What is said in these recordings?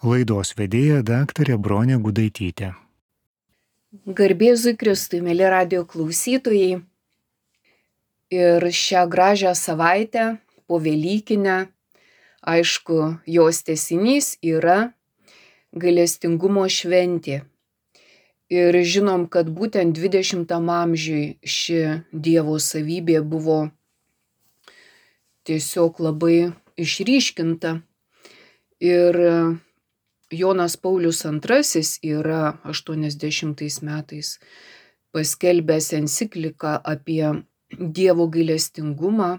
Laidos vedėja daktarė Bronė Gudaitytė. Garbė Jėzui Kristui, mėly radijo klausytojai. Ir šią gražią savaitę, po Velykinę, aišku, jos tęsinys yra gailestingumo šventė. Ir žinom, kad būtent 20 amžiui ši Dievo savybė buvo tiesiog labai išryškinta. Ir Jonas Paulius II yra 80 metais paskelbęs encikliką apie Dievo gailestingumą.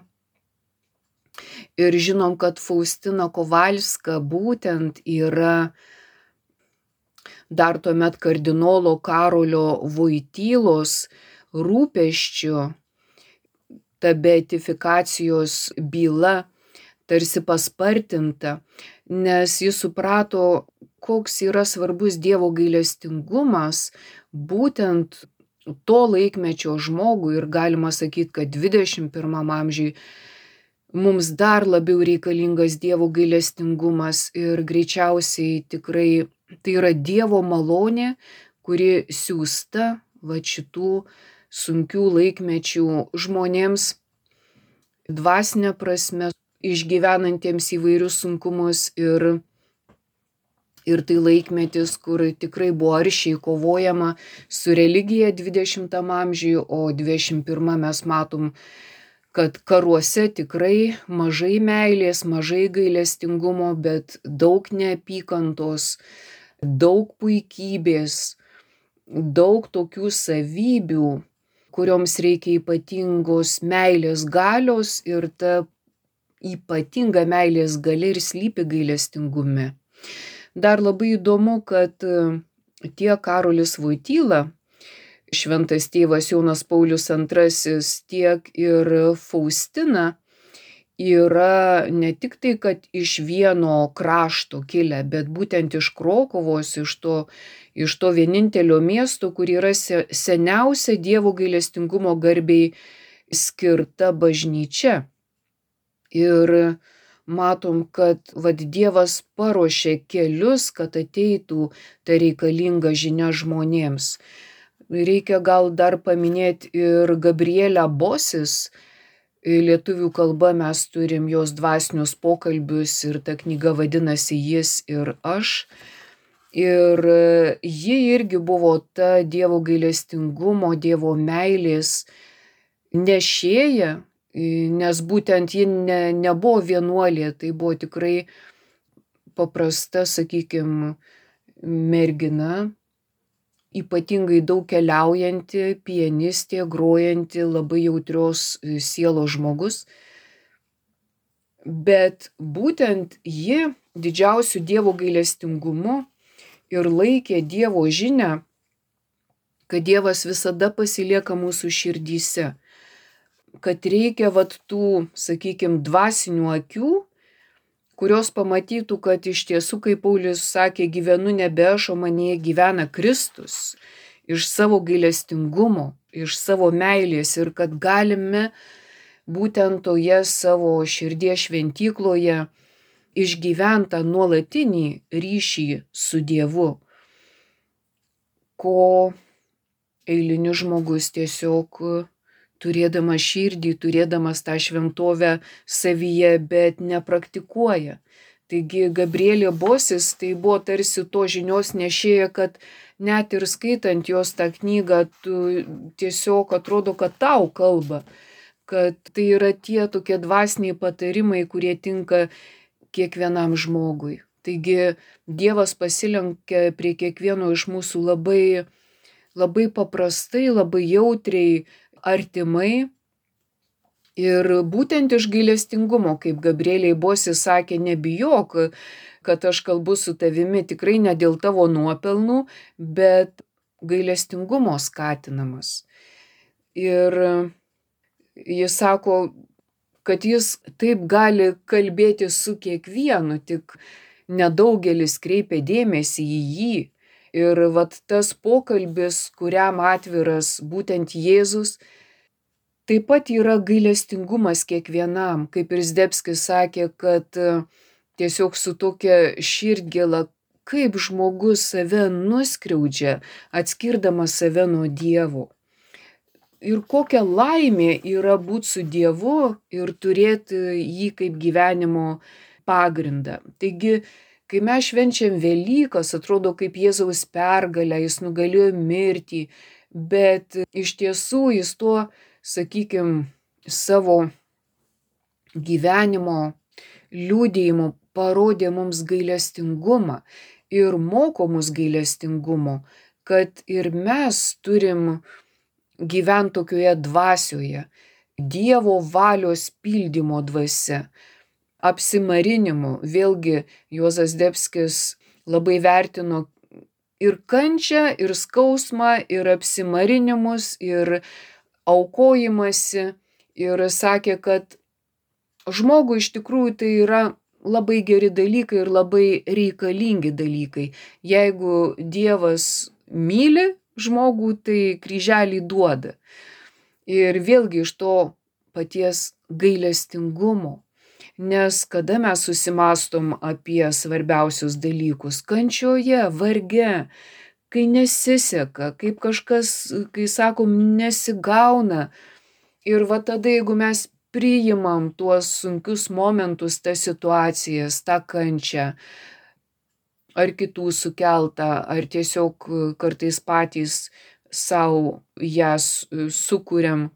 Ir žinom, kad Faustina Kovalska būtent yra dar tuomet kardinolo Karolio Voitylos rūpesčiu ta beatifikacijos byla tarsi paspartinta, nes jis suprato, koks yra svarbus Dievo gailestingumas būtent to laikmečio žmogui, ir galima sakyti, kad 21 amžiui mums dar labiau reikalingas Dievo gailestingumas, ir greičiausiai tikrai tai yra Dievo malonė, kuri siųsta šitų sunkių laikmečių žmonėms dvasinė prasme, išgyvenantiems įvairius sunkumus, ir tai laikmetis, kur tikrai buvo aršiai kovojama su religija 20 amžiui, o 21 mes matom, kad karuose tikrai mažai meilės, mažai gailestingumo, bet daug neapykantos, daug puikybės, daug tokių savybių, kurioms reikia ypatingos meilės galios, ir ta ypatinga meilės galia ir slypi gailestingume. Dar labai įdomu, kad tiek Karolis Voityla, šventas tėvas Jonas Paulius II, tiek ir Faustina yra ne tik tai, kad iš vieno krašto kilę, bet būtent iš Krokuvos, iš to vienintelio miesto, kur yra seniausia Dievo gailestingumo garbei skirta bažnyčia. Ir matom, kad Dievas paruošė kelius, kad ateitų ta reikalinga žinia žmonėms. Reikia gal dar paminėti ir Gabrielę Bosis. Lietuvių kalba mes turim jos dvasinius pokalbius, ir ta knyga vadinasi Jis ir aš. Ir ji irgi buvo ta Dievo gailestingumo, Dievo meilės nešėja, nes būtent ji nebuvo vienuolė, tai buvo tikrai paprasta, sakykime, mergina, ypatingai daug keliaujanti, pianistė, grojanti, labai jautrios sielos žmogus. Bet būtent ji didžiausiu Dievo gailestingumu ir laikė Dievo žinią, kad Dievas visada pasilieka mūsų širdyse, kad reikia tų, sakykime, dvasinių akių, kurios pamatytų, kad iš tiesų, kaip Paulius sakė, gyvenu nebe aš, o manyje gyvena Kristus, iš savo gailestingumo, iš savo meilės, ir kad galime būtent toje savo širdies šventykloje išgyventą nuolatinį ryšį su Dievu, ko eilinis žmogus tiesiog turėdamas širdį, turėdamas tą šventovę savyje, bet nepraktikuoja. Taigi Gabrielė Bosis tai buvo tarsi to žinios nešėja, kad net ir skaitant jos tą knygą, tu tiesiog atrodo, kad tau kalba, kad tai yra tie tokie dvasiniai patarimai, kurie tinka kiekvienam žmogui. Taigi Dievas pasilenkia prie kiekvieno iš mūsų labai, labai paprastai, labai jautriai, artimai, ir būtent iš gailestingumo, kaip Gabrielei Bosis sakė, nebijok, kad aš kalbu su tavimi tikrai ne dėl tavo nuopelnų, bet gailestingumo skatinamas. Ir jis sako, kad jis taip gali kalbėti su kiekvienu, tik nedaugelis kreipia dėmesį į jį. Ir tas pokalbis, kuriam atviras būtent Jėzus, taip pat yra gailestingumas kiekvienam, kaip ir Zdebskis sakė, kad tiesiog su tokia širdgėla kaip žmogus save nuskriaudžia, atskirdamas save nuo Dievo. Ir kokia laimė yra būti su Dievu ir turėti jį kaip gyvenimo pagrindą. Taigi, kai mes švenčiam Velykas, atrodo kaip Jėzaus pergalę, jis nugalėjo mirtį, bet iš tiesų jis tuo, sakykime, savo gyvenimo liūdėjimu parodė mums gailestingumą ir moko mus gailestingumo, kad ir mes turim gyventi tokioje dvasioje, Dievo valios pildymo dvasia, apsimarinimu. Vėlgi Juozas Zdebskis labai vertino ir kančią, ir skausmą, ir apsimarinimus, ir aukojimąsi, ir sakė, kad žmogui iš tikrųjų tai yra labai geri dalykai ir labai reikalingi dalykai. Jeigu Dievas myli žmogų, tai kryželį duoda. Ir vėlgi iš to paties gailestingumo. Nes kada mes susimastom apie svarbiausius dalykus - kančioje, varge, kai nesiseka, kaip kažkas, kai sakom, nesigauna. Ir va tada, jeigu mes priimam tuos sunkius momentus, tas situacijas, tą kančią, ar kitų sukeltą, ar tiesiog kartais patys savo ją sukuriam.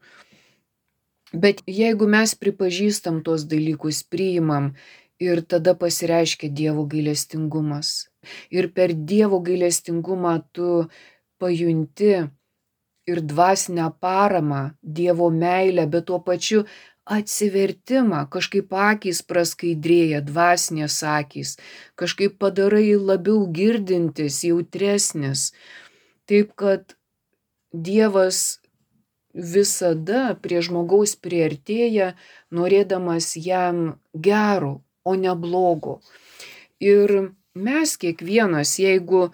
Bet jeigu mes pripažįstam tuos dalykus, priimam, ir tada pasireiškia Dievo gailestingumas. Ir per Dievo gailestingumą tu pajunti ir dvasinę paramą, Dievo meilę, bet tuo pačiu atsivertimą, kažkaip akys praskaidrėja, dvasinės akys, kažkaip padarai labiau girdintis, jautresnis. Taip kad Dievas visada prie žmogaus priartėja, norėdamas jam gero, o ne blogo. Ir mes kiekvienas, jeigu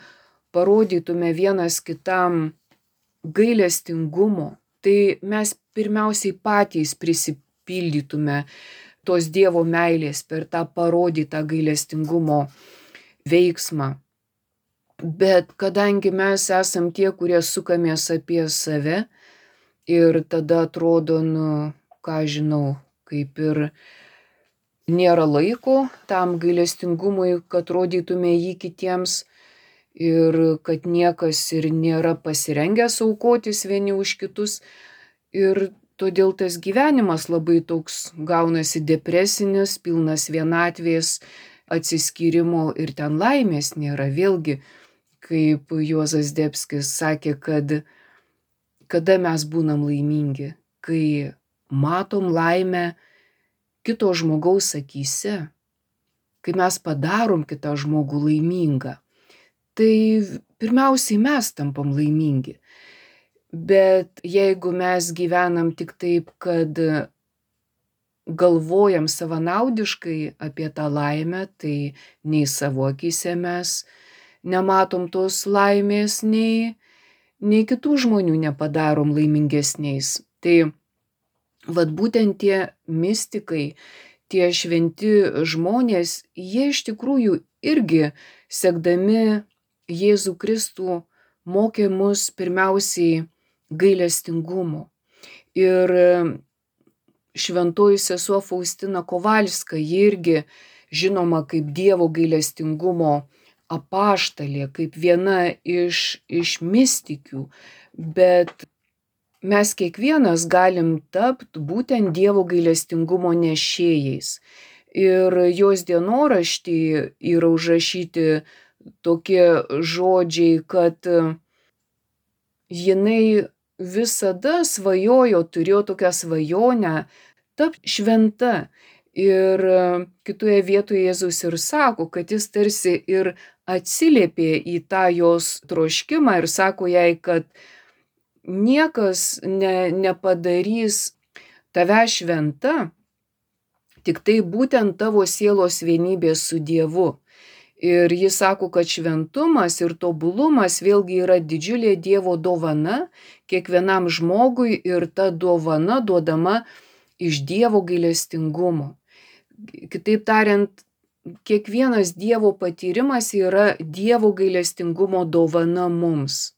parodytume vienas kitam gailestingumo, tai mes pirmiausiai patys prisipildytume tos Dievo meilės per tą parodytą gailestingumo veiksmą. Bet kadangi mes esam tie, kurie sukamės apie save, ir tada atrodo, ką žinau, kaip ir nėra laiko tam gailestingumui, kad rodytume jį kitiems, ir kad niekas ir nėra pasirengęs aukotis vieni už kitus. Ir todėl tas gyvenimas labai toks gaunasi depresinis, pilnas vienatvės, atsiskyrimo, ir ten laimės nėra. Vėlgi, kaip Juozas Zdebskis sakė, kad kada mes būnam laimingi, kai matom laimę kito žmogaus akyse, kai mes padarom kitą žmogų laimingą, tai pirmiausiai mes tampam laimingi. Bet jeigu mes gyvenam tik taip, kad galvojam savanaudiškai apie tą laimę, tai nei savo akyse mes nematom tos laimės, nei kitų žmonių nepadarom laimingesniais. Tai vat būtent tie mistikai, tie šventi žmonės, jie iš tikrųjų irgi sekdami Jėzų Kristų mokė mus pirmiausiai gailestingumo. Ir šventoji sesuo Faustina Kovalska, ji irgi žinoma kaip Dievo gailestingumo apaštalė, kaip viena iš mistikių, bet mes kiekvienas galim tapti būtent Dievo gailestingumo nešėjais. Ir jos dienoraštį yra užrašyti tokie žodžiai, kad jinai visada svajojo, turėjo tokią svajonę tapti šventa. Ir kitoje vietoje Jėzus ir sako, kad jis tarsi ir atsiliepė į tą jos troškimą ir sako jai, kad niekas nepadarys tave šventa, tik tai būtent tavo sielos vienybė su Dievu. Ir jis sako, kad šventumas ir tobulumas vėlgi yra didžiulė Dievo dovana kiekvienam žmogui, ir ta dovana duodama iš Dievo gailestingumo. Kitaip tariant, kiekvienas Dievo patyrimas yra Dievo gailestingumo dovana mums.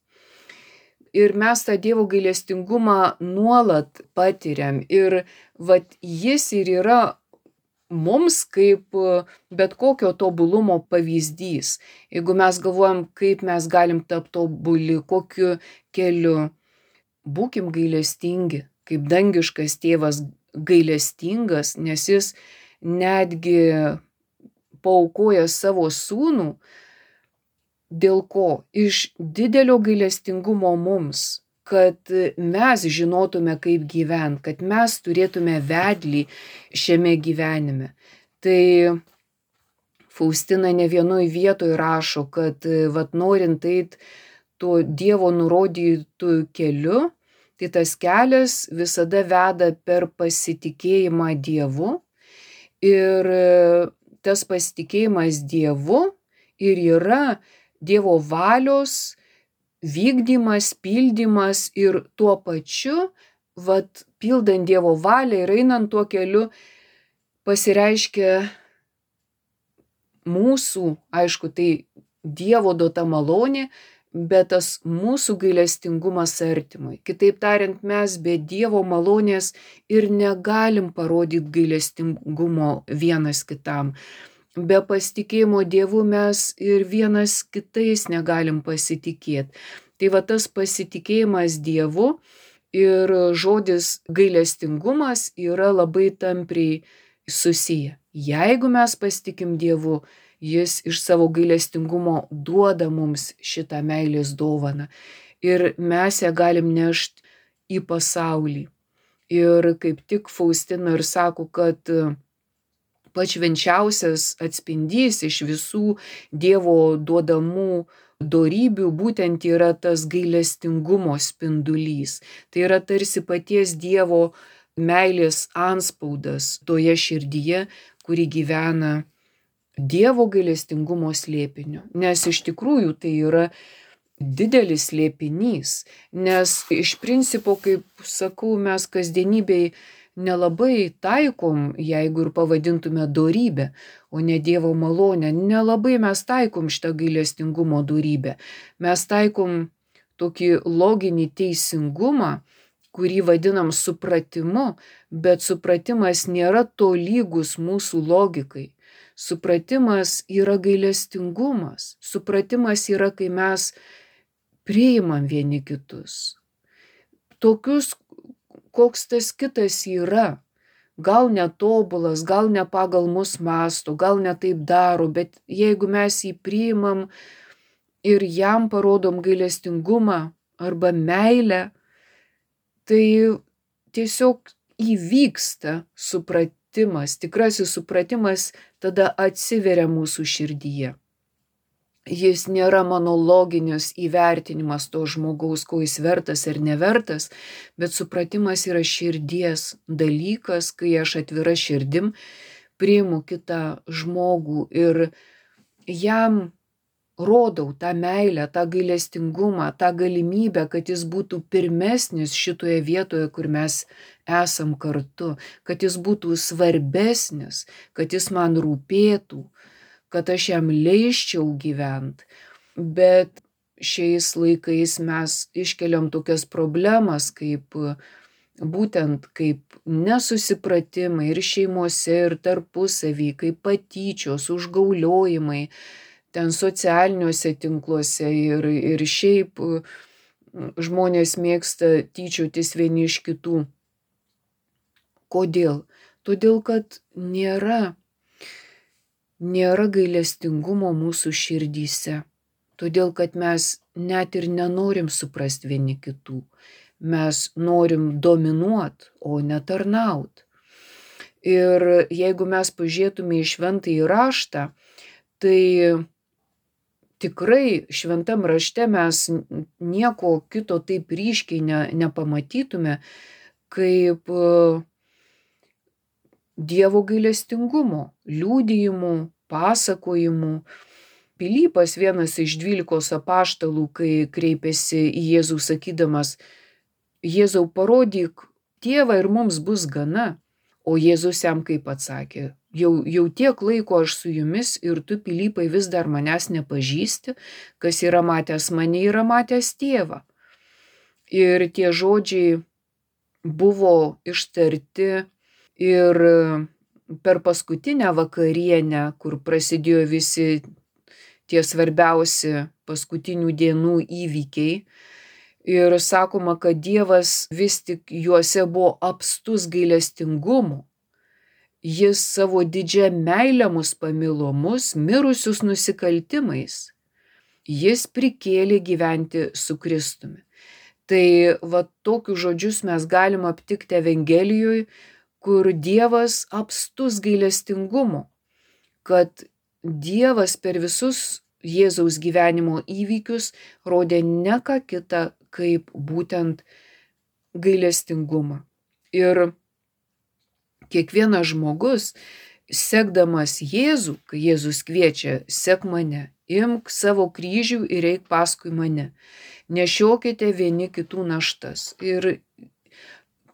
Ir mes tą Dievo gailestingumą nuolat patiriam. Ir jis ir yra mums kaip bet kokio tobulumo pavyzdys. Jeigu mes galvojam, kaip mes galim tapti tobuli, kokiu keliu, būkim gailestingi, kaip dangiškas tėvas gailestingas, nes jis netgi paaukoja savo sūnų. Dėl ko? Iš didelio gailestingumo mums, kad mes žinotume, kaip gyventi, kad mes turėtume vedlį šiame gyvenime. Tai Faustina ne vienoj vietoj rašo, kad norint eit tuo Dievo nurodytų keliu, tai tas kelias visada veda per pasitikėjimą Dievu. Ir tas pasitikėjimas Dievu ir yra Dievo valios vykdymas, pildymas ir tuo pačiu, pildant Dievo valią ir einant tuo keliu, pasireiškia mūsų, aišku, tai Dievo duota malonė, bet tas mūsų gailestingumas artimui. Kitaip tariant, mes be Dievo malonės ir negalim parodyti gailestingumo vienas kitam. Be pasitikėjimo Dievu mes ir vienas kitais negalim pasitikėti. Tai tas pasitikėjimas Dievu ir žodis gailestingumas yra labai tampriai susiję. Jeigu mes pasitikim Dievu, jis iš savo gailestingumo duoda mums šitą meilės dovaną. Ir mes ją galim nešti į pasaulį. Ir kaip tik Faustina ir sako, kad pats švenčiausias atspindys iš visų Dievo duodamų dorybių būtent yra tas gailestingumo spindulys. Tai yra tarsi paties Dievo meilės antspaudas toje širdyje, kuri gyvena Dievo gailestingumo slėpiniu. Nes iš tikrųjų tai yra didelis slėpinys. Nes iš principo, kaip sakau, mes kasdienybėj nelabai taikom, jeigu ir pavadintume dorybę, o ne Dievo malonę, nelabai mes taikom šitą gailestingumo dorybę. Mes taikom tokį loginį teisingumą, kurį vadinam supratimu, bet supratimas nėra tolygus mūsų logikai. Supratimas yra gailestingumas. Supratimas yra, kai mes priimam vieni kitus. Tokius, koks tas kitas yra. Gal netobulas, gal ne pagal mus mąsto, gal ne taip daro, bet jeigu mes jį priimam ir jam parodom gailestingumą arba meilę, tai tiesiog įvyksta supratimas, tikrasis supratimas tada atsiveria mūsų širdyje. Jis nėra mano loginis įvertinimas to žmogaus, ko jis vertas ar nevertas, bet supratimas yra širdies dalykas, kai aš atvira širdim priimu kitą žmogų ir jam rodau tą meilę, tą gailestingumą, tą galimybę, kad jis būtų pirmesnis šitoje vietoje, kur mes esam kartu, kad jis būtų svarbesnis, kad jis man rūpėtų, kad aš jam leisčiau gyventi. Bet šiais laikais mes iškeliam tokias problemas, kaip būtent kaip nesusipratimai ir šeimose, ir tarpusavy, kaip patyčios, užgauliojimai, ten socialiniuose tinkluose ir šiaip žmonės mėgsta tyčiotis vieni iš kitų. Kodėl? Todėl, kad nėra gailestingumo mūsų širdyse. Todėl, kad mes net ir nenorim suprasti vieni kitų. Mes norim dominuoti, o ne tarnauti. Ir jeigu mes pažiūrėtume į šventąjį raštą, tai tikrai šventam rašte mes nieko kito taip ryškiai nepamatytume, kaip Dievo gailestingumo, liudijimų, pasakojimų. Pilypas, vienas iš 12 apaštalų, kai kreipėsi į Jėzų sakydamas, Jėzau, parodyk Tėvą ir mums bus gana. O Jėzus jam kaip atsakė, jau tiek laiko aš su jumis ir tu, Pilypai, vis dar manęs nepažįsti, kas yra matęs mane, yra matęs tėvą. Ir tie žodžiai buvo ištarti ir per paskutinę vakarienę, kur prasidėjo visi tie svarbiausi paskutinių dienų įvykiai. Ir sakoma, kad Dievas vis tik juose buvo apstus gailestingumu. Jis savo didžią meilę mus pamilo, mus mirusius nusikaltimais. Jis prikėlė gyventi su Kristumi. Tai va tokius žodžius mes galim aptikti Evangelijoje, kur Dievas apstus gailestingumu, kad Dievas per visus Jėzaus gyvenimo įvykius rodė ne ką kitą kaip būtent gailestingumą. Ir kiekvienas žmogus, sekdamas Jėzų, kai Jėzus kviečia, sek mane, imk savo kryžių ir eik paskui mane, nešiokite vieni kitų naštas. Ir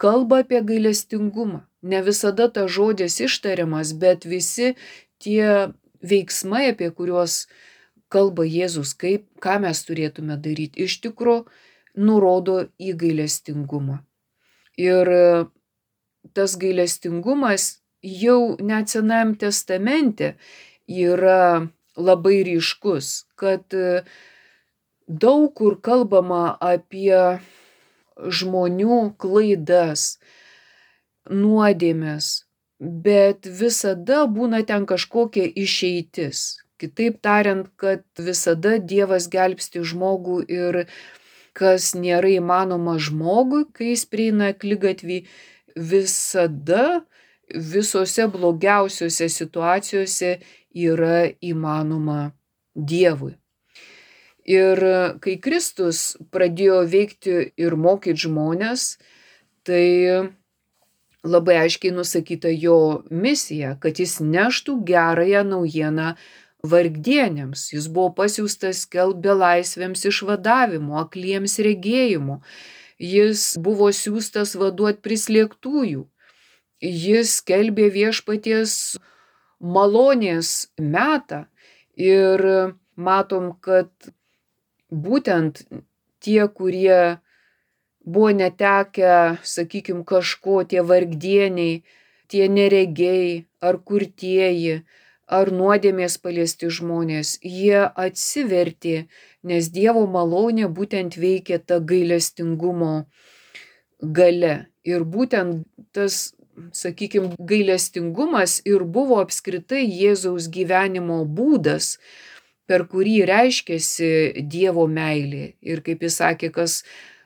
kalba apie gailestingumą. Ne visada tas žodis ištariamas, bet visi tie veiksmai, apie kuriuos kalba Jėzus, ką mes turėtume daryti, iš tikrųjų nurodo į gailestingumą. Ir tas gailestingumas jau net Senajam testamente yra labai ryškus, kad daug kur kalbama apie žmonių klaidas, nuodėmes, bet visada būna ten kažkokia išeitis. Kitaip tariant, kad visada Dievas gelbsti žmogų ir kas nėra įmanoma žmogui, kai jis prieina akligatvį, visada visose blogiausiose situacijose yra įmanoma Dievui. Ir kai Kristus pradėjo veikti ir mokyti žmones, tai labai aiškiai nusakyta jo misija, kad jis neštų gerąją naujieną vargdieniams. Jis buvo pasiųstas skelbti belaisvėms išvadavimo, akliems regėjimo. Jis buvo siųstas vaduoti prislėgtųjų. Jis skelbė viešpaties malonės metą. Ir matom, kad būtent tie, kurie buvo netekę, sakykime, kažko, tie vargdieniai, tie neregiai, ar kurtieji, ar nuodėmės paliesti žmonės, jie atsivertė, nes Dievo malonė būtent veikia ta gailestingumo galia. Ir būtent tas, sakykime, gailestingumas ir buvo apskritai Jėzaus gyvenimo būdas, per kurį reiškėsi Dievo meilė. Ir kaip jis sakė, kas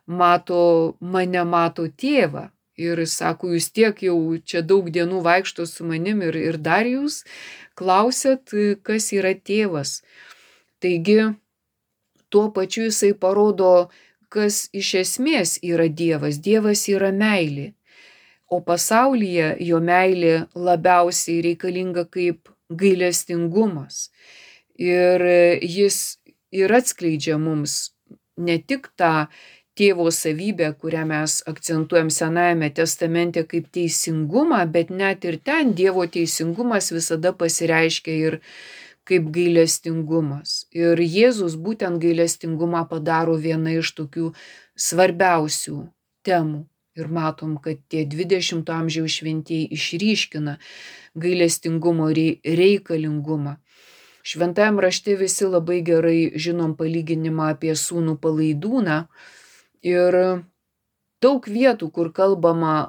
mato mane, mato tėvą. Ir sako, jūs tiek jau čia daug dienų vaikšto su manim ir dar jūs klausėt, kas yra tėvas. Taigi, tuo pačiu jisai parodo, kas iš esmės yra Dievas. Dievas yra meilė. O pasaulyje jo meilė labiausiai reikalinga kaip gailestingumas. Ir jis ir atskleidžia mums ne tik tą tėvo savybę, kurią mes akcentuojam Senajame testamente kaip teisingumą, bet net ir ten Dievo teisingumas visada pasireiškia ir kaip gailestingumas. Ir Jėzus būtent gailestingumą padaro viena iš tokių svarbiausių temų. Ir matom, kad tie 20 amžiaus šventieji išryškina gailestingumo reikalingumą. Šventajam rašte visi labai gerai žinom palyginimą apie sūnų palaidūną. Ir daug vietų, kur kalbama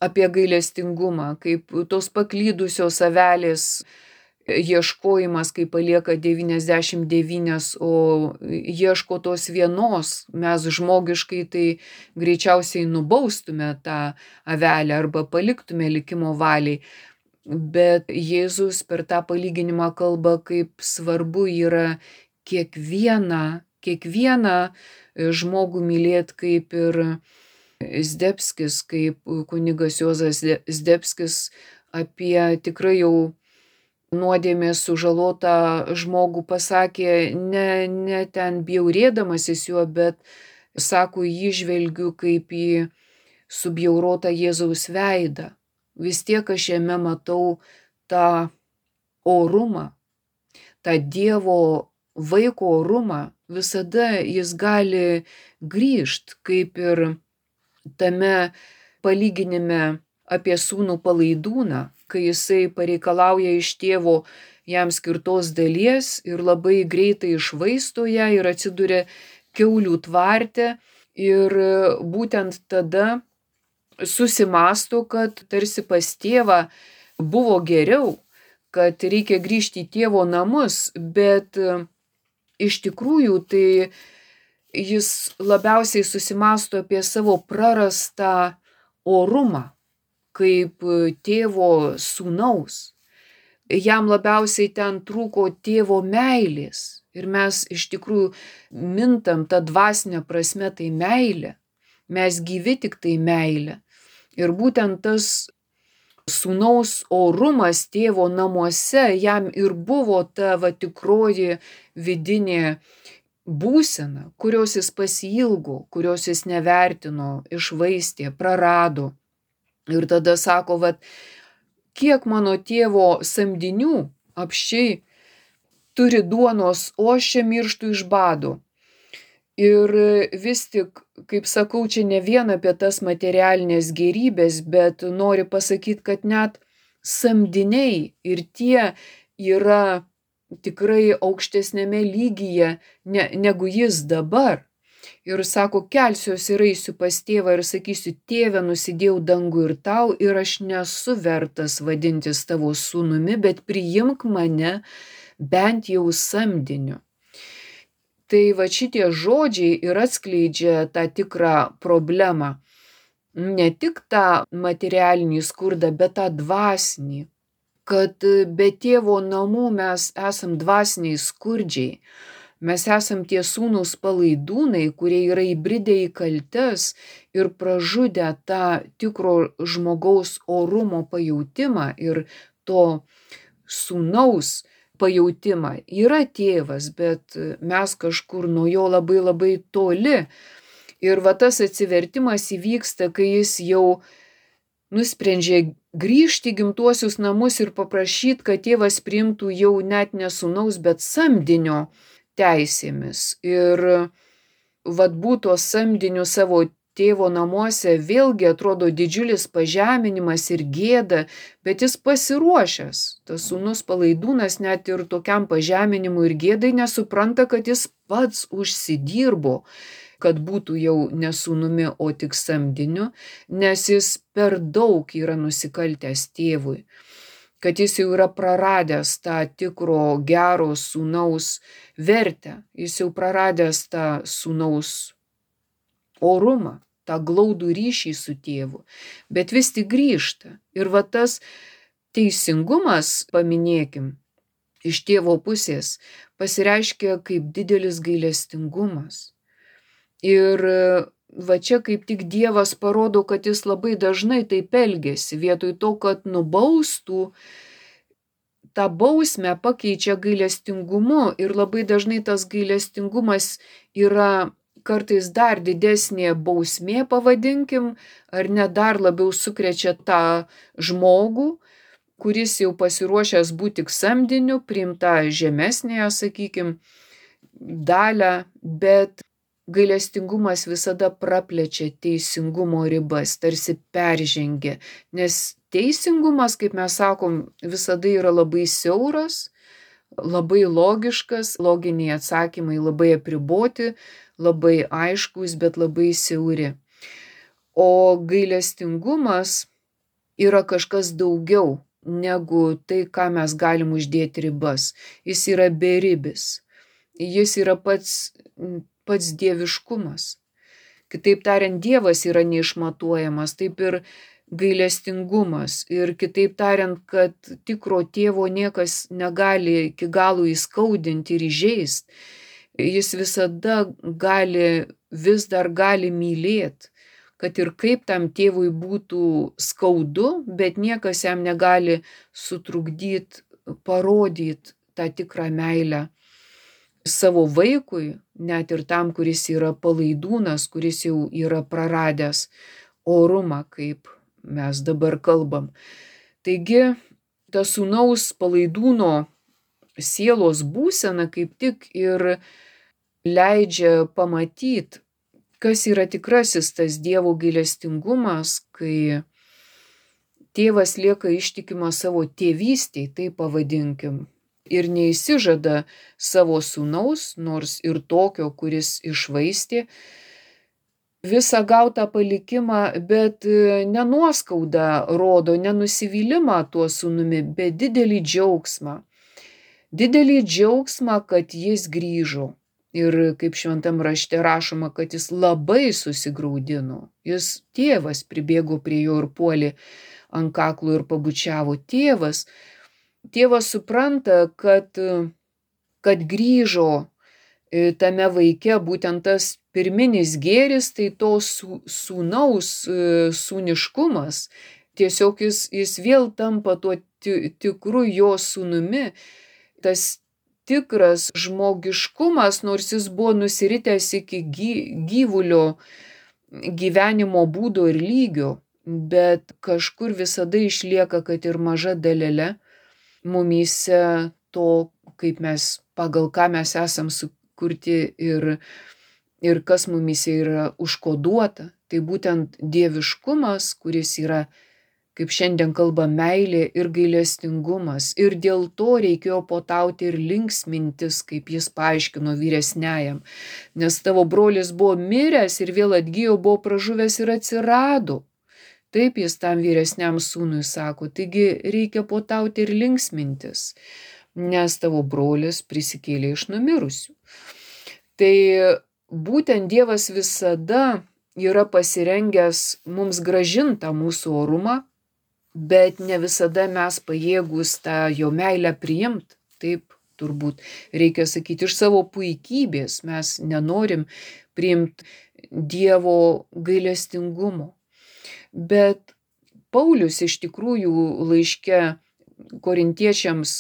apie gailestingumą, kaip tos paklydusios avelės ieškojimas, kai palieka 99, o ieško tos vienos. Mes žmogiškai tai greičiausiai nubaustume tą avelę arba paliktume likimo valiai. Bet Jėzus per tą palyginimą kalba, kaip svarbu yra kiekvieną žmogų mylėti, kaip ir Zdebskis, kaip kunigas Juozas Zdebskis apie tikrai jau nuodėmės sužalotą žmogų pasakė, ne ten bjaurėdamasis juo, bet sako, jį žvelgiu kaip į subjaurotą Jėzaus veidą. Vis tiek aš jame matau tą orumą, tą Dievo vaiko orumą, visada jis gali grįžt, kaip ir tame palyginime apie sūnų palaidūną, kai jisai pareikalauja iš tėvo jam skirtos dalies ir labai greitai išvaisto ją ir atsiduria kiaulių tvarte ir būtent tada susimąsto, kad tarsi pas tėvą buvo geriau, kad reikia grįžti į tėvo namus, bet iš tikrųjų tai jis labiausiai susimąsto apie savo prarastą orumą kaip tėvo sūnaus. Jam labiausiai ten trūko tėvo meilės ir mes iš tikrųjų mintam tą dvasinę prasme tai meilė. Mes gyvi tik tai meilė. Ir būtent tas sūnaus orumas tėvo namuose jam ir buvo ta tikroji vidinė būsena, kurios jis pasiilgo, kurios jis nevertino, išvaistė, prarado. Ir tada sako, kiek mano tėvo samdinių apsčiai turi duonos, o aš čia mirštu iš bado. Ir vis tik, kaip sakau, čia ne vien apie tas materialinės gėrybės, bet nori pasakyti, kad net samdiniai ir tie yra tikrai aukštesnėme lygyje negu jis dabar. Ir sako, kelsiuosi ir eisiu pas tėvą ir sakysiu, tėve, nusidėjau dangų ir tau ir aš nesu vertas vadintis tavo sūnumi, bet priimk mane bent jau samdiniu. Tai šitie žodžiai ir atskleidžia tą tikrą problemą. Ne tik tą materialinį skurdą, bet tą dvasinį. Kad be tėvo namų mes esam dvasiniai skurdžiai. Mes esam tie sūnūs palaidūnai, kurie yra įbridę į kaltes ir pražudę tą tikro žmogaus orumo pajautimą ir to sūnaus pajautimą. Yra tėvas, bet mes kažkur nuo jo labai labai toli. Ir tas atsivertimas įvyksta, kai jis jau nusprendžia grįžti į gimtuosius namus ir paprašyti, kad tėvas priimtų jau net ne sūnaus, bet samdinio teisėmis. Ir būtų samdiniu savo tėvo namuose vėlgi atrodo didžiulis pažeminimas ir gėda, bet jis pasiruošęs. Tas sūnus palaidūnas net ir tokiam pažeminimui ir gėdai nesupranta, kad jis pats užsidirbo, kad būtų jau ne sūnumi, o tik samdiniu, nes jis per daug yra nusikaltęs tėvui. Kad jis jau yra praradęs tą tikro gero sūnaus vertę, jis jau praradęs tą sūnaus orumą, tą glaudų ryšį su tėvu, bet vis tik grįžta. Ir tas teisingumas, paminėkim, iš tėvo pusės pasireiškia kaip didelis gailestingumas. Ir čia kaip tik Dievas parodo, kad jis labai dažnai taip elgiasi, vietoj to, kad nubaustų, tą bausmę pakeičia gailestingumu ir labai dažnai tas gailestingumas yra kartais dar didesnė bausmė, pavadinkim, ar net dar labiau sukrečia tą žmogų, kuris jau pasiruošęs būti tik samdiniu, priimta žemesnėje, sakykim, dalę, bet gailestingumas visada praplečia teisingumo ribas, tarsi peržengia, nes teisingumas, kaip mes sakom, visada yra labai siauras, labai logiškas, loginiai atsakymai labai apriboti, labai aiškus, bet labai siauri. O gailestingumas yra kažkas daugiau negu tai, ką mes galim uždėti ribas. Jis yra beribis. Jis yra pats dieviškumas. Kitaip tariant, Dievas yra neišmatuojamas, taip ir gailestingumas. Ir kitaip tariant, kad tikro tėvo niekas negali iki galo įskaudinti ir įžeisti. Jis visada vis dar gali mylėti, kad ir kaip tam tėvui būtų skaudu, bet niekas jam negali sutrukdyti, parodyti tą tikrą meilę savo vaikui, net ir tam, kuris yra palaidūnas, kuris jau yra praradęs orumą, kaip mes dabar kalbam. Taigi, ta sūnaus palaidūno sielos būsena kaip tik ir leidžia pamatyti, kas yra tikrasis tas Dievo gailestingumas, kai tėvas lieka ištikimas savo tėvystei, tai pavadinkim, ir neįsižada savo sūnaus, nors ir tokio, kuris iššvaistė visą gautą palikimą, bet nenuoskaudą rodo, nenusivylimą tuo sūnumi, bet didelį džiaugsmą. Didelį džiaugsmą, kad jis grįžo. Ir kaip šventam rašte rašoma, kad jis labai susigraudino. Jis tėvas pribėgo prie jo ir puolė ant kaklo ir pabučiavo. Tėvas supranta, kad grįžo tame vaike būtent tas pirminis gėris, tai to sūnaus sūniškumas. Tiesiog jis vėl tampa tuo tikru jo sūnumi. Tas tikras žmogiškumas, nors jis buvo nusiritęs iki gyvulio gyvenimo būdo ir lygio, bet kažkur visada išlieka, kad ir maža dalelė mumyse to, kaip mes, pagal ką mes esam sukurti ir kas mumyse yra užkoduota. Tai būtent dieviškumas, kuris yra, kaip šiandien kalba, meilė ir gailestingumas. Ir dėl to reikėjo potauti ir linksmintis, kaip jis paaiškino vyresniajam. Nes tavo brolis buvo miręs ir vėl atgijo, buvo pražuvęs ir atsirado. Taip jis tam vyresniam sūnui sako. Taigi reikia potauti ir linksmintis, nes tavo brolis prisikėlė iš numirusių. Tai būtent Dievas visada yra pasirengęs mums grąžinti mūsų orumą, bet ne visada mes pajėgus tą jo meilę priimti. Taip turbūt reikia sakyti, iš savo puikybės mes nenorim priimti Dievo gailestingumo. Bet Paulius iš tikrųjų laiške korintiečiams,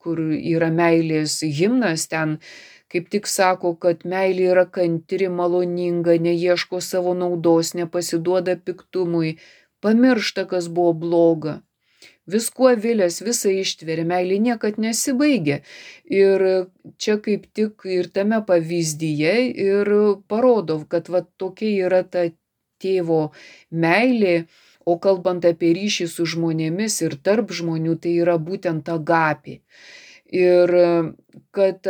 kur yra meilės himnas, ten kaip tik sako, kad meilė yra kantri, maloninga, neieško savo naudos, nepasiduoda piktumui, pamiršta, kas buvo bloga. Viskuo vilės, visą ištveria, meilė niekad nesibaigia. Ir čia kaip tik ir tame pavyzdyje ir parodo, kad va tokia yra ta tėvo meilė, o kalbant apie ryšį su žmonėmis ir tarp žmonių, tai yra būtent agapė. Ir kad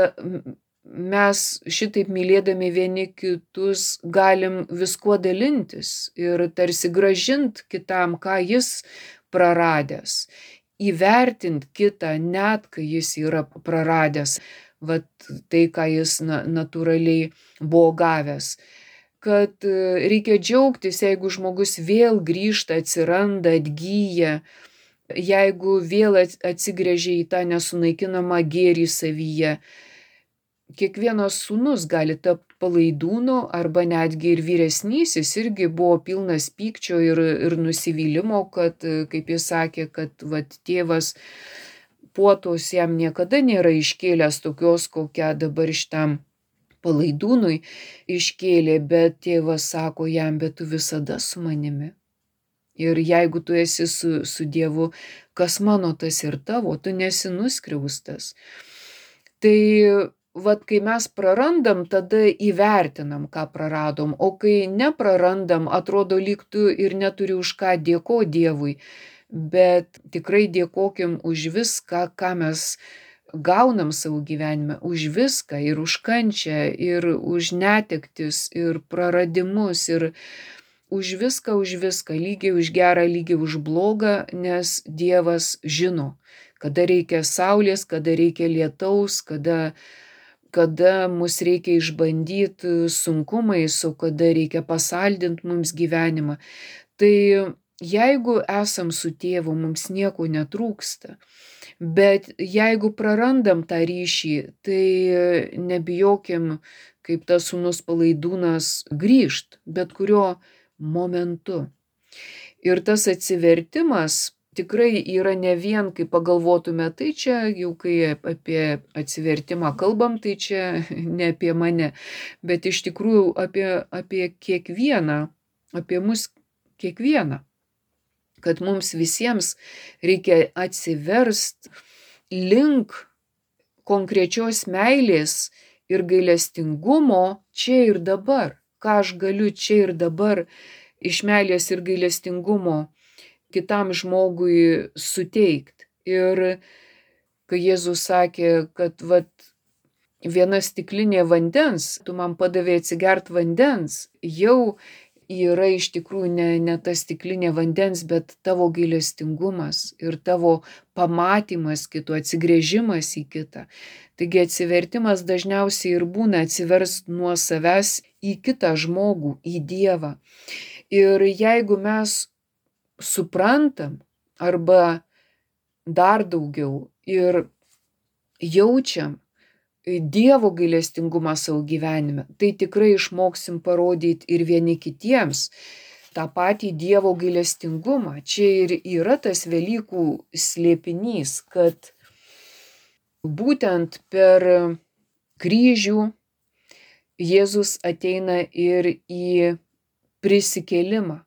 mes šitaip mylėdami vieni kitus galim viskuo dalintis ir tarsi grąžint kitam, ką jis praradęs, įvertint kitą net, kai jis yra praradęs, vat tai, ką jis natūraliai buvo gavęs. Kad reikia džiaugtis, jeigu žmogus vėl grįžta, atsiranda, atgyja, jeigu vėl atsigręžia į tą nesunaikinamą gėrį savyje. Kiekvienas sūnus gali tapti palaidūnu, arba netgi ir vyresnysis irgi buvo pilnas pykčio ir nusivylimo, kad, kaip jis sakė, kad vat, tėvas puotos jam niekada nėra iškėlęs tokios, kokią dabar šitam palaidūnui iškėlė, bet tėvas sako jam, bet tu visada su manimi. Ir jeigu tu esi su Dievu, kas mano, tas ir tavo, tu nesi nuskriaustas. Tai vat, kai mes prarandam, tada įvertinam, ką praradom, o kai neprarandam, atrodo, lyg tu ir neturi už ką dėkoti Dievui, bet tikrai dėkokim už viską, ką mes gaunam savo gyvenime, už viską, ir už kančią, ir už netektis, ir praradimus, ir už viską, lygiai už gerą, lygiai už blogą, nes Dievas žino, kada reikia saulės, kada reikia lietaus, kada mus reikia išbandyti sunkumais, o kada reikia pasaldinti mums gyvenimą. Tai jeigu esam su tėvu, mums nieko netrūksta. Bet jeigu prarandam tą ryšį, tai nebijokim, kaip tas sūnus palaidūnas, grįžt bet kurio momentu. Ir tas atsivertimas tikrai yra ne vien, kai pagalvotume, tai čia jau kai apie atsivertimą kalbam, tai čia ne apie mane, bet iš tikrųjų apie kiekvieną, apie mus kiekvieną. kad mums visiems reikia atsiverst link konkrečios meilės ir gailestingumo čia ir dabar. Ką aš galiu čia ir dabar iš meilės ir gailestingumo kitam žmogui suteikt. Ir kai Jėzus sakė, kad viena stiklinė vandens, tu man padavei atsigert vandens, jau yra iš tikrųjų ne ta stiklinė vandens, bet tavo gailestingumas ir tavo pamatymas kito, atsigręžimas į kitą. Taigi atsivertimas dažniausiai ir būna atsiverst nuo savęs į kitą žmogų, į Dievą. Ir jeigu mes suprantam arba dar daugiau ir jaučiam Dievo gailestingumą savo gyvenime, tai tikrai išmoksim parodyti ir vieni kitiems tą patį Dievo gailestingumą. Čia ir yra tas Velykų slėpinys, kad būtent per kryžių Jėzus ateina ir į prisikėlimą.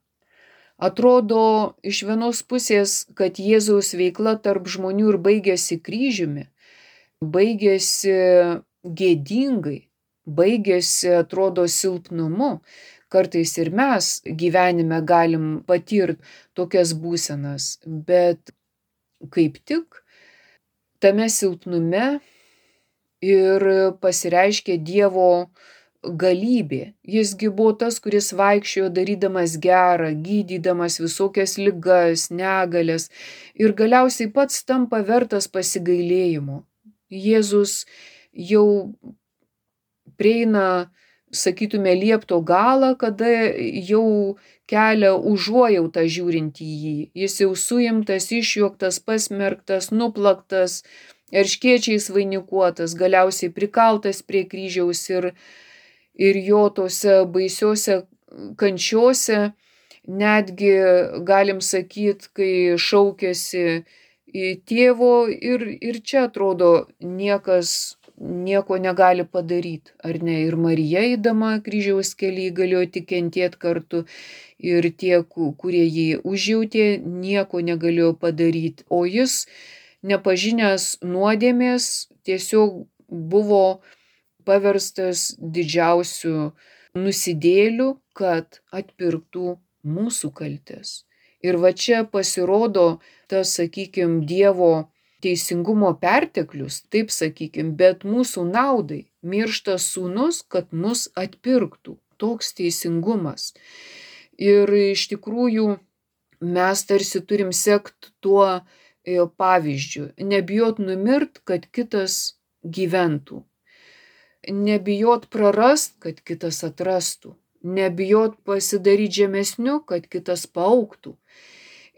Atrodo iš vienos pusės, kad Jėzaus veikla tarp žmonių ir baigėsi kryžiumi, baigėsi gėdingai, baigėsi, atrodo, silpnumu. Kartais ir mes gyvenime galim patirti tokias būsenas, bet kaip tik tame silpnume ir pasireiškia Dievo galybė. Jisgi buvo tas, kuris vaikščiojo darydamas gerą, gydydamas visokias ligas, negalias ir galiausiai pats tampa vertas pasigailėjimo. Jėzus jau prieina, sakytume, liepto galą, kada jau kelia užuojautą žiūrint į jį. Jis jau suimtas, išjuoktas, pasmerktas, nuplaktas, erškėčiais vainikuotas, galiausiai prikaltas prie kryžiaus ir jo tose baisiose kančiose, netgi galim sakyt, kai šaukėsi į tėvo ir čia atrodo niekas nieko negali padaryti, ar ne? Ir Marija eidama kryžiaus kelyje galėjo tik kentėti kartu ir tie, kurie jį užjautė, nieko negalėjo padaryti. O jis, nepažinęs nuodėmės, tiesiog buvo paverstas didžiausiu nusidėliu, kad atpirktų mūsų kaltes. Ir va čia pasirodo tas, sakykim, Dievo teisingumo perteklius, taip sakykim, bet mūsų naudai miršta sūnus, kad mus atpirktų. Toks teisingumas. Ir iš tikrųjų mes tarsi turim sekt tuo pavyzdžiu. Nebijot numirt, kad kitas gyventų. Nebijot prarast, kad kitas atrastų. Nebijot pasidaryti žemesniu, kad kitas paaugtų.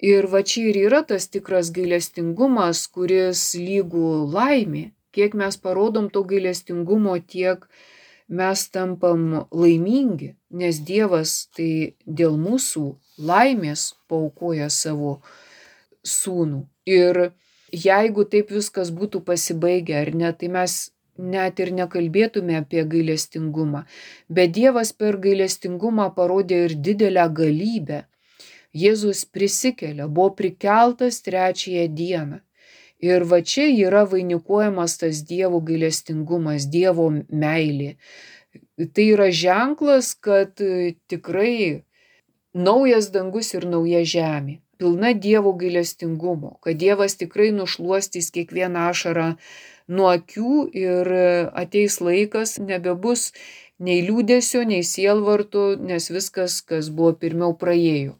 Ir va čia ir yra tas tikras gailestingumas, kuris lygų laimė. Kiek mes parodom to gailestingumo, tiek mes tampam laimingi, nes Dievas tai dėl mūsų laimės paaukoja savo sūnų. Ir jeigu taip viskas būtų pasibaigę, ar ne, tai mes net ir nekalbėtume apie gailestingumą. Bet Dievas per gailestingumą parodė ir didelę galybę. Jėzus prisikelia, buvo prikeltas 3 dieną. Ir va čia yra vainikuojamas tas Dievo gailestingumas, Dievo meilė. Tai yra ženklas, kad tikrai naujas dangus ir nauja žemė, pilna Dievo gailestingumo, kad Dievas tikrai nušluostys kiekvieną ašarą nuo akių ir ateis laikas, nebebus nei liūdesio, nei sielvarto, nes viskas, kas buvo pirmiau, praėjo.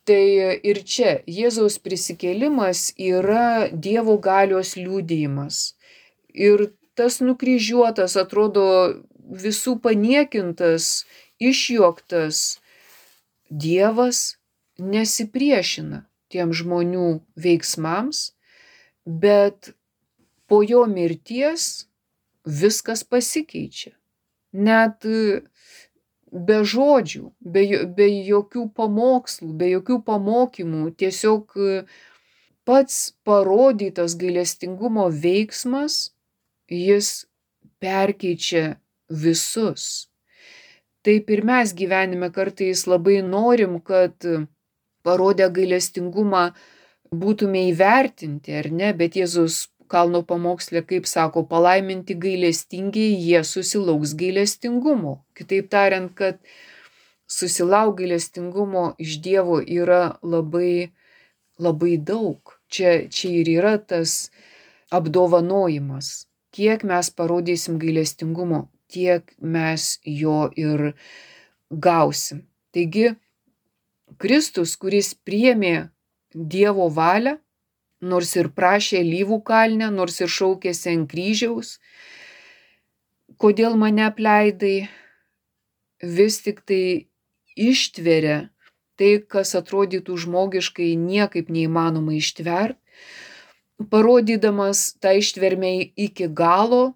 Tai ir čia Jėzaus prisikėlimas yra Dievo galios liudijimas. Ir tas nukryžiuotas, atrodo, visų paniekintas, išjuoktas Dievas nesipriešina tiem žmonių veiksmams, bet po jo mirties viskas pasikeičia. Net be žodžių, be jokių pamokslų, be jokių pamokymų, tiesiog pats parodytas gailestingumo veiksmas, jis perkeičia visus. Taip ir mes gyvenime kartais labai norim, kad parodę gailestingumą būtume įvertinti, ar ne, bet Jėzus kalno pamoksle, kaip sako, palaiminti gailestingiai, jie susilauks gailestingumo. Kitaip tariant, kad susilauk gailestingumo iš Dievo yra labai, labai daug. Čia ir yra tas apdovanojimas. Kiek mes parodysim gailestingumo, tiek mes jo ir gausim. Taigi, Kristus, kuris priėmė Dievo valią, nors ir prašė alyvų kalne, nors ir šaukėsi ant kryžiaus, kodėl mane apleidai, vis tik tai ištveria tai, kas atrodytų žmogiškai niekaip neįmanoma ištvert, parodydamas tą ištvermę iki galo,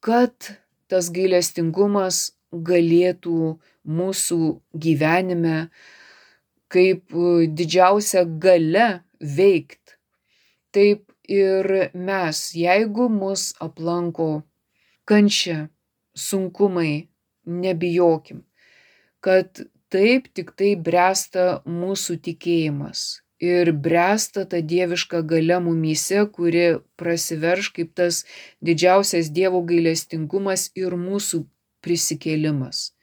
kad tas gailestingumas galėtų mūsų gyvenime kaip didžiausia galia veikt. Taip ir mes, jeigu mus aplanko kančia, sunkumai, nebijokim, kad taip tik tai bręsta mūsų tikėjimas ir bręsta ta dieviška galia mumyse, kuri prasiverš kaip tas didžiausias Dievo gailestingumas ir mūsų prisikėlimas.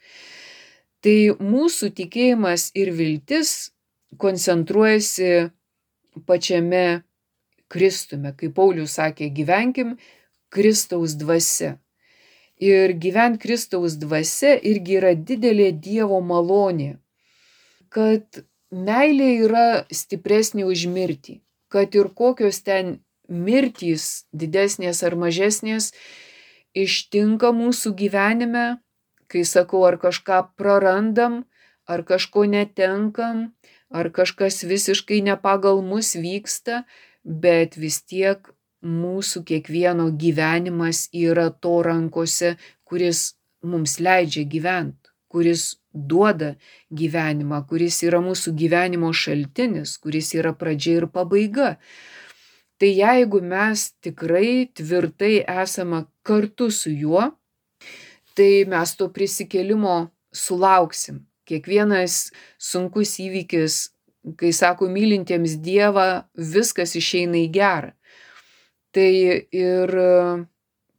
Tai mūsų tikėjimas ir viltis koncentruojasi pačiame Kristume. Kaip Paulius sakė, gyvenkim Kristaus dvasia. Ir gyvent Kristaus dvasia irgi yra didelė Dievo malonė, kad meilė yra stipresnė už mirtį, kad ir kokios ten mirtys, didesnės ar mažesnės, ištinka mūsų gyvenime, kai sakau, ar kažką prarandam, ar kažko netenkam, ar kažkas visiškai ne pagal mus vyksta, bet vis tiek mūsų kiekvieno gyvenimas yra to rankose, kuris mums leidžia gyventi, kuris duoda gyvenimą, kuris yra mūsų gyvenimo šaltinis, kuris yra pradžia ir pabaiga. Tai jeigu mes tikrai tvirtai esame kartu su juo, tai mes to prisikėlimo sulauksim. Kiekvienas sunkus įvykis, kai sako mylintiems Dievą, viskas išeina į gerą. Tai ir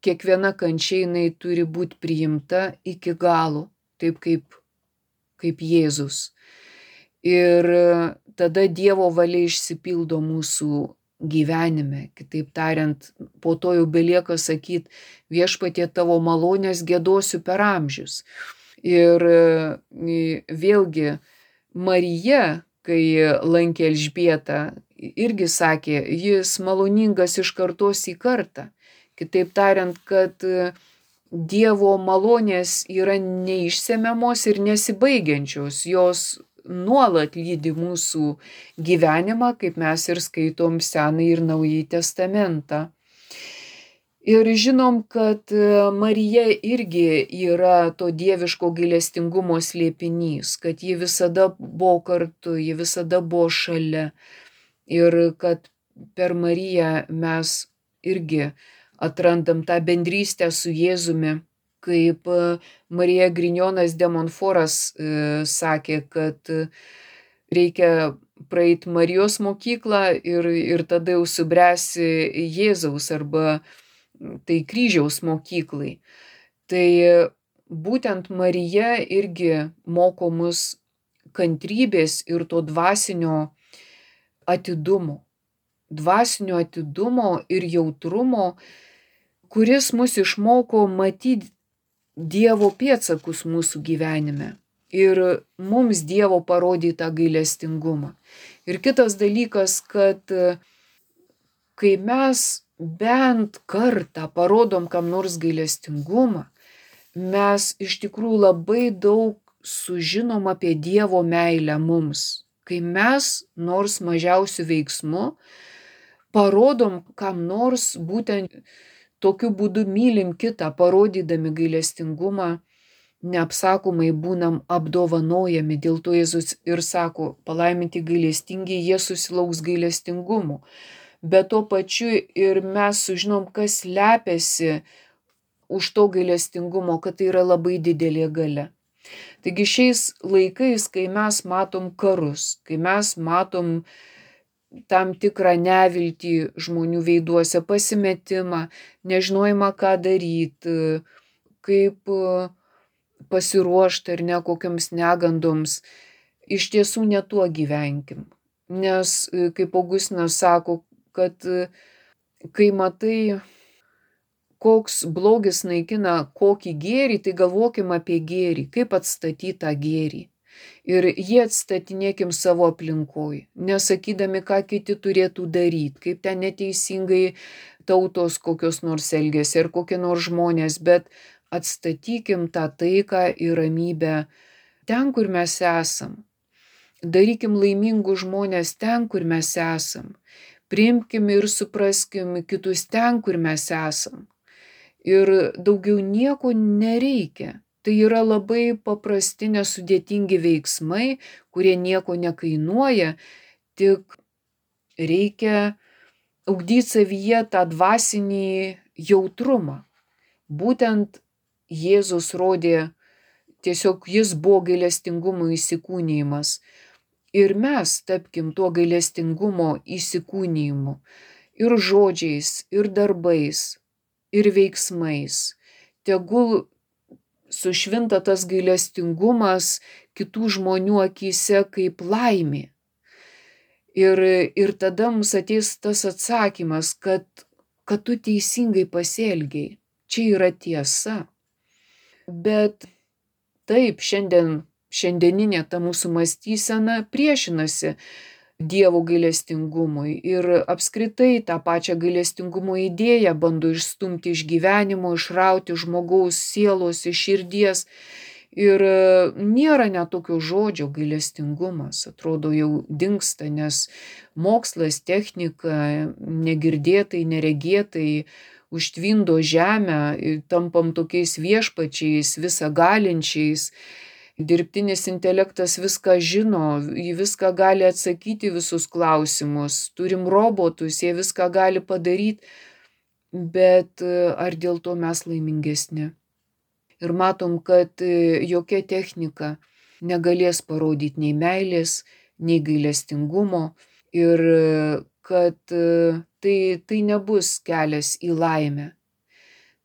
kiekviena kančia jinai turi būti priimta iki galo, taip kaip Jėzus. Ir tada Dievo valia išsipildo mūsų gyvenime. Kitaip tariant, po to jau belieka sakyti, Viešpatie tavo malonės giedosiu per amžius. Ir vėlgi Marija, kai lankė Elžbietą, irgi sakė, jis maloningas iš kartos į kartą. Kitaip tariant, kad Dievo malonės yra neišsemiamos ir nesibaigiančios, jos nuolat lydi mūsų gyvenimą, kaip mes ir skaitom Senąjį ir Naująjį testamentą. Ir žinom, kad Marija irgi yra to dieviško gailestingumo slėpinys, kad ji visada buvo kartu, ji visada buvo šalia. Ir kad per Mariją mes irgi atrandam tą bendrystę su Jėzumi, kaip Marija Grignonas de Montforas sakė, kad reikia praeiti Marijos mokyklą ir tada jau subręsi Jėzaus arba tai kryžiaus mokyklai. Tai būtent Marija irgi moko mus kantrybės ir to dvasinio atidumo ir jautrumo, kuris mus išmoko matyti Dievo pėdsakus mūsų gyvenime ir mums Dievo parodytą gailestingumą. Ir kitas dalykas, kad kai mes bent kartą parodom kam nors gailestingumą, mes iš tikrųjų labai daug sužinom apie Dievo meilę mums. Kai mes nors mažiausių veiksmų parodom kam nors būtent tokiu būdu mylim kitą, parodydami gailestingumą, neapsakomai būnam apdovanojami. Dėl to Jėzus ir sako, palaiminti gailestingi, jie susilauks gailestingumo. Bet tuo pačiu ir mes sužinom, kas slepiasi už to gailestingumo, kad tai yra labai didelė galia. Taigi šiais laikais, kai mes matom karus, kai mes matom tam tikrą neviltį žmonių veiduose, pasimetimą, nežinojimą, ką daryti, kaip pasiruošti ar ne kokiams negandoms, iš tiesų ne tuo gyvenkim. Nes, kaip Augustinas sako, kad kai matai, koks blogis naikina kokį gėrį, tai galvokim apie gėrį, kaip atstatyti tą gėrį. Ir jį atstatinėkim savo aplinkoj, nesakydami, ką kiti turėtų daryti, kaip ten neteisingai tautos kokios nors elgiasi ar kokie nors žmonės, bet atstatykim tą taiką ir ramybę ten, kur mes esam. Darykim laimingus žmonės ten, kur mes esam. Priimkim ir supraskim kitus ten, kur mes esam. Ir daugiau nieko nereikia. Tai yra labai paprasti, nesudėtingi veiksmai, kurie nieko nekainuoja, tik reikia ugdyti savyje tą dvasinį jautrumą. Būtent Jėzus rodė, tiesiog jis buvo gailestingumo įsikūnijimas. Ir mes tapkim tuo gailestingumo įsikūnijimu. Ir žodžiais, ir darbais, ir veiksmais. Tegul sušvinta tas gailestingumas kitų žmonių akyse kaip laimė. Ir tada mums ateis tas atsakymas, kad tu teisingai pasielgiai. Čia yra tiesa. Bet taip, šiandieninė ta mūsų mąstysena priešinasi Dievo gailestingumui ir apskritai tą pačią gailestingumo idėją bando išstumti iš gyvenimo, išrauti žmogaus sielos, iš širdies. Ir nėra net tokio žodžio gailestingumas, atrodo jau dingsta, nes mokslas, technika negirdėtai, neregėtai užtvindo žemę, tampam tokiais viešpačiais, visagalinčiais. Dirbtinis intelektas viską žino, jį viską gali atsakyti visus klausimus, turim robotus, jie viską gali padaryti, bet ar dėl to mes laimingesni? Ir matom, kad jokia technika negalės parodyti nei meilės, nei gailestingumo ir kad tai nebus kelias į laimę.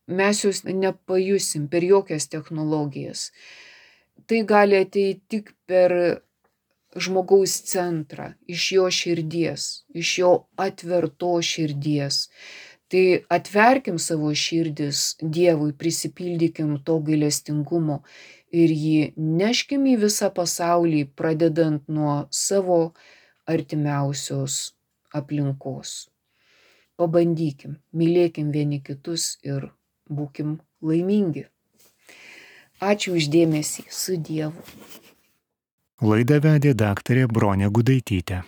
Mes jos nepajusim per jokias technologijas. Tai gali ateiti tik per žmogaus centrą, iš jo širdies, iš jo atverto širdies. Tai atverkim savo širdis Dievui, prisipildykim to gailestingumo ir jį neškim į visą pasaulį, pradedant nuo savo artimiausios aplinkos. Pabandykim, mylėkim vieni kitus ir būkim laimingi. Ačiū už dėmesį, su Dievu. Laidą vedė daktarė Bronė Gudaitytė.